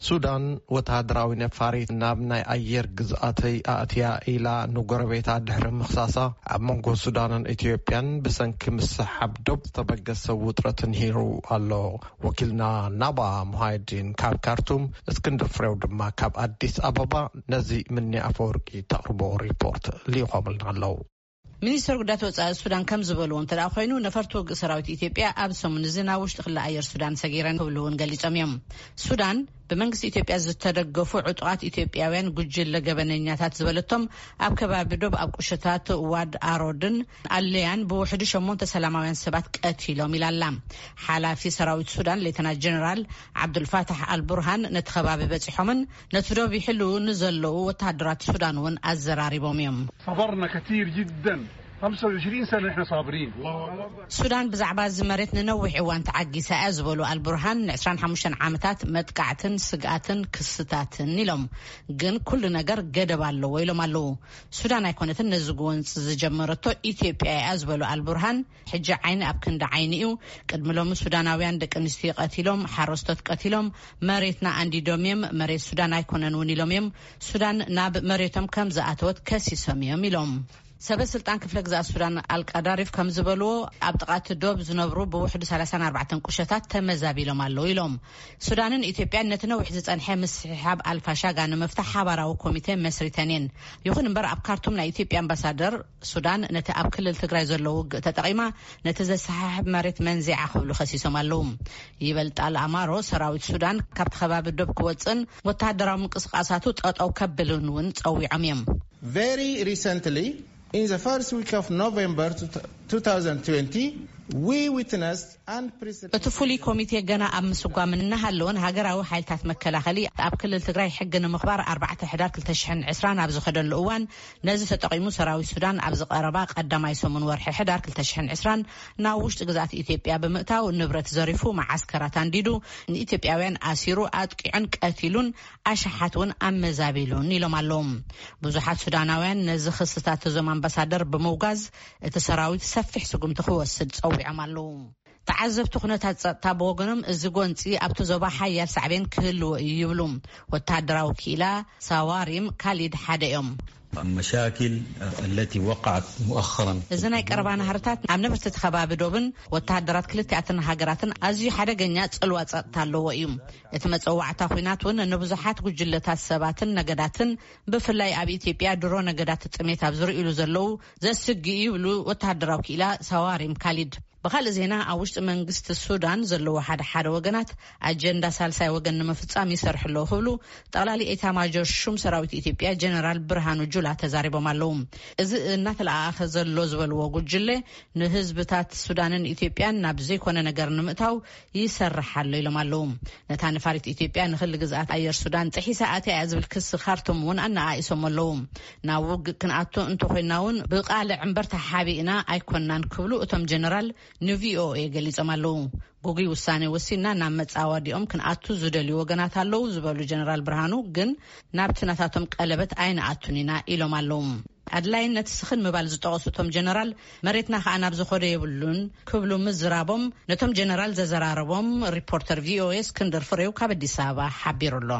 ሱዳን ወተሃደራዊ ነፋሪት ናብ ናይ ኣየር ግዝኣተይ ኣእትያ ኢላ ንጎረቤታ ድሕሪ ምኽሳሳ፣ ኣብ መንጎ ሱዳንን ኢትዮጵያን ብሰንኪ ምስሓብ ዶብ ዝተበገሰ ውጥረት ንሂሩ ኣሎ። ወኪልና ናባ ሙሃይዲን ካብ ካርቱም፣ እስክንድር ፍሬው ድማ ካብ ኣዲስ ኣበባ ነዚ ምኒ ኣፈወርቂ ተቕርቦ ሪፖርት ልኢኾምልና ኣለዉ። ሚኒስትር ጉዳያት ወጻኢ ሱዳን ከም ዝበልዎ እንተ ደኣ ኮይኑ፣ ነፈርቲ ውግእ ሰራዊት ኢትዮጵያ ኣብ ሰሙን እዚ ናብ ውሽጢ ክሊ ኣየር ሱዳን ሰጊረን ክብሉ እውን ገሊጾም እዮም። ሱዳን ብመንግስቲ ኢትዮጵያ ዝተደገፉ ዕጡቓት ኢትዮጵያውያን ጉጅለ ገበነኛታት ዝበለቶም ኣብ ከባቢ ዶብ ኣብ ቁሸታት ዋድ ኣሮድን ኣለያን ብውሕዱ ሸሞንተ ሰላማውያን ሰባት ቀቲሎም ኢላ ኣላ። ሓላፊ ሰራዊት ሱዳን ሌተና ጀነራል ዓብዱልፋታሕ ኣልቡርሃን ነቲ ከባቢ በጺሖምን ነቲ ዶብ ይሕልዉ ንዘለዉ ወተሃደራት ሱዳን እውን ኣዘራሪቦም እዮም። صبرنا كثير جدًا. خمسة وعشرين سنة نحن صابرين. الله أكبر. ሱዳን ብዛዕባ እዚ መሬት ንነዊሕ እዋን ተዓጊሳ እያ ዝበሉ ኣልቡርሃን፣ ን25 ዓመታት መጥቃዕትን ስግኣትን ክስታትን ኢሎም፣ ግን ኩሉ ነገር ገደብ ኣለዎ ኢሎም ኣለዉ። ሱዳን ኣይኮነትን ነዚ ጎንፂ ዝጀመረቶ፣ ኢትዮጵያ እያ ዝበሉ ኣልቡርሃን፣ ሕጂ ዓይኒ ኣብ ክንዲ ዓይኒ እዩ። ቅድሚ ሎሚ ሱዳናውያን ደቂ ኣንስትዮ ቀቲሎም፣ ሓረስቶት ቀቲሎም፣ መሬትና ኣንዲዶም እዮም፣ መሬት ሱዳን ኣይኮነን እውን ኢሎም እዮም። ሱዳን ናብ መሬቶም ከም ዝኣተወት ከሲሶም እዮም ኢሎም። ሰበ ስልጣን ክፍለ ግዛት ሱዳን ኣልቃዳሪፍ ከም ዝበልዎ፣ ኣብ ጥቓ እቲ ዶብ ዝነብሩ ብውሕዱ ሰላሳን ኣርባዕተን ቁሸታት ተመዛቢሎም ኣለዉ ኢሎም። ሱዳንን ኢትዮጵያን ነቲ ነዊሕ ዝጸንሐ ምስሕሓብ ኣልፋሻጋ ንምፍታሕ ሓባራዊ ኮሚቴ መስሪተን እየን። ይኹን እምበር፣ ኣብ ካርቱም ናይ ኢትዮጵያ ኣምባሳደር ሱዳን ነቲ ኣብ ክልል ትግራይ ዘሎ ውግእ ተጠቒማ ነቲ ዘሰሓሕብ መሬት መንዚዓ ክብሉ ከሲሶም ኣለዉ። ይበልጣል ኣማሮ ሰራዊት ሱዳን ካብቲ ከባቢ ዶብ ክወፅእን ወተሃደራዊ ምንቅስቃሳቱ ጠጠው ከብልን እውን ጸዊዖም እዮም። Very recently, in the first week of November two thousand twenty, we witnessed unprecedented እቲ ፍሉይ ኮሚቴ ገና ኣብ ምስጓም እናሃለወን ሃገራዊ ሓይልታት መከላኸሊ ኣብ ክልል ትግራይ ሕጊ ንምኽባር ኣርባዕተ ሕዳር ክልተ ሽሕን ዕስራን ኣብ ዝኸደሉ እዋን፣ ነዚ ተጠቒሙ ሰራዊት ሱዳን ኣብዚ ቀረባ ቀዳማይ ሰሙን ወርሒ ሕዳር ክልተ ሽሕን ዕስራን ናብ ውሽጢ ግዝኣት ኢትዮጵያ ብምእታው ንብረት ዘሪፉ፣ መዓስከራት ኣንዲዱ፣ ንኢትዮጵያውያን ኣሲሩ፣ ኣጥቂዑን ቀቲሉን ኣሽሓት እውን ኣመዛቢሉን ኢሎም ኣለዉ። ብዙሓት ሱዳናውያን ነዚ ክስታት እዞም ኣምባሳደር ብምውጋዝ፣ እቲ ሰራዊት ሰፊሕ ስጉምቲ ክወስድ ጸዊዖም ኣለዉ። ተዓዘብቲ ኩነታት ጸጥታ ብወገኖም፣ እዚ ጎንጺ ኣብቲ ዞባ ሓያል ሳዕቤን ክህልዎ እዩ ይብሉ። ወተሃደራዊ ክኢላ ሳዋሪም ካሊድ ሓደ እዮም። المشاكل التي وقعت مؤخرا. እዚ ናይ ቀረባ ናህርታት ኣብ ነበርቲ እቲ ከባቢ ዶብን ወተሃደራት ክልቲኣትን ሃገራትን ኣዝዩ ሓደገኛ ጽልዋ ጸጥታ ኣለዎ እዩ። እቲ መጸዋዕታ ኲናት እውን ንብዙሓት ጉጅለታት ሰባትን ነገዳትን፣ ብፍላይ ኣብ ኢትዮጵያ ድሮ ነገዳት ጥሜት ኣብ ዝርእሉ ዘለዉ፣ ዘስግእ እዩ ይብሉ ወተሃደራዊ ክኢላ ሳዋሪም ካሊድ። ብኻልእ ዜና፣ ኣብ ውሽጢ መንግስቲ ሱዳን ዘለዉ ሓደ ሓደ ወገናት ኣጀንዳ ሳልሳይ ወገን ንምፍጻም ይሰርሑ ኣለዉ ክብሉ ጠቕላሊ ኤታማጆር ሹም ሰራዊት ኢትዮጵያ ጀነራል ብርሃኑ ጁላ ተዛሪቦም ኣለዉ። እዚ እናተለኣኣኸ ዘሎ ዝበልዎ ጉጅለ፣ ንህዝብታት ሱዳንን ኢትዮጵያን ናብ ዘይኮነ ነገር ንምእታው ይሰርሕ ኣሎ ኢሎም ኣለዉ። ነታ ነፋሪት ኢትዮጵያ ንክሊ ግዝኣት ኣየር ሱዳን ጥሒሳ ኣትያ እያ ዝብል ክሲ ካርቱም እውን ኣነኣኢሶም ኣለዉ። ናብ ውግእ ክንኣቱ እንተኾይና እውን ብቃልዕ እምበር ተሓቢእና ኣይኮናን ክብሉ እቶም ጀነራል ንቪኦኤ ገሊጾም ኣለዉ። ግጉይ ውሳኔ ወሲንና ናብ መጻወዲኦም ክንኣቱ ዝደልዩ ወገናት ኣለዉ ዝበሉ ጀነራል ብርሃኑ ግን ናብቲ ናታቶም ቀለበት ኣይንኣቱን ኢና ኢሎም ኣለዉ። ኣድላይነት ስኽን ምባል ዝጠቐሱ እቶም ጀነራል፣ መሬትና ከኣ ናብ ዝኸዶ የብሉን ክብሉ ምዝራቦም ነቶም ጀነራል ዘዘራረቦም ሪፖርተር ቪኦኤ እስክንድር ፍሬው ካብ ኣዲስ ኣበባ ሓቢሩ ኣሎ።